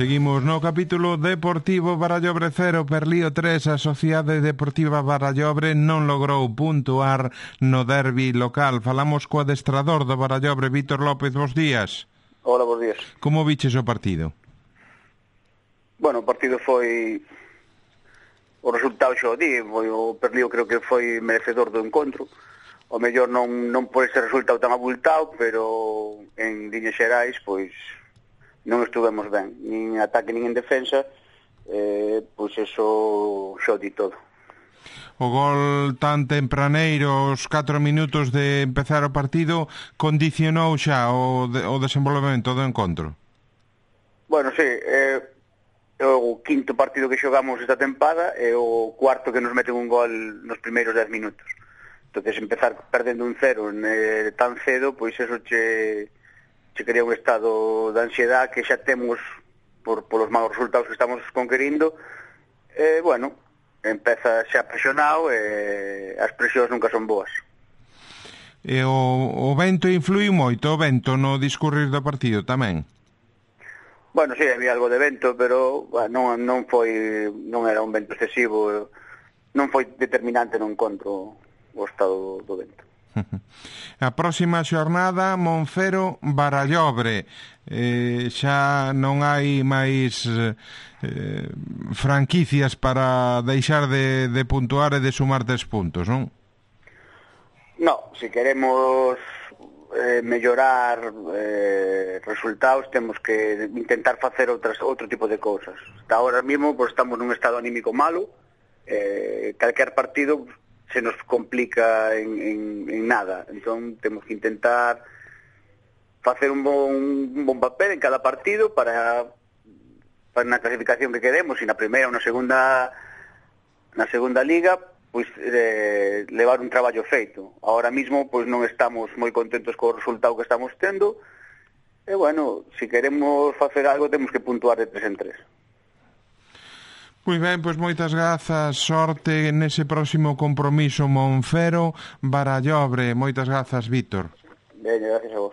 Seguimos no capítulo deportivo. Barallobre 0, Perlío 3. A Sociedade Deportiva Barallobre non logrou puntuar no derbi local. Falamos co adestrador do Barallobre, Vítor López. Bos días. Hola, bos días. Como viches o partido? Bueno, o partido foi... O resultado xa o di, o Perlío creo que foi merecedor do encontro. O mellor non por ese resultado tan abultado, pero en líneas xerais, pois non estuvemos ben, nin en ataque nin en defensa, pois eso xa o di todo. O gol tan tempraneiro, os 4 minutos de empezar o partido, condicionou xa o desenvolvemento do encontro? Bueno, sí, é o quinto partido que xogamos esta tempada e o cuarto que nos meten un gol nos primeiros 10 minutos. Entonces empezar perdendo un 0 tan cedo, pois eso che crea un estado de ansiedade que xa temos polos malos resultados que estamos conquerindo. Bueno, empeza xa presionado e as presións nunca son boas. E o vento influiu moito, o vento no discurrir do partido tamén? Bueno, sí, había algo de vento, pero non era un vento excesivo, non foi determinante no encontro o estado do vento. A próxima xornada, Monfero Barallobre. Xa non hai máis franquicias para deixar de puntuar e de sumar 3 puntos, non? No, se queremos mellorar resultados, temos que intentar facer outro tipo de cousas. Hasta ahora mismo pues, estamos nun estado anímico malo, calquer partido se nos complica en nada. Entón temos que intentar facer un bon papel en cada partido para na clasificación que queremos, e na primeira ou na segunda liga, pois levar un traballo feito. Ahora mismo pois non estamos moi contentos co resultado que estamos tendo, e bueno, se queremos facer algo temos que puntuar de 3 en 3. Moi ben, pois moitas grazas, sorte nese próximo compromiso Monfero Barallobre. Moitas grazas, Vítor. Ben, gracias a vos.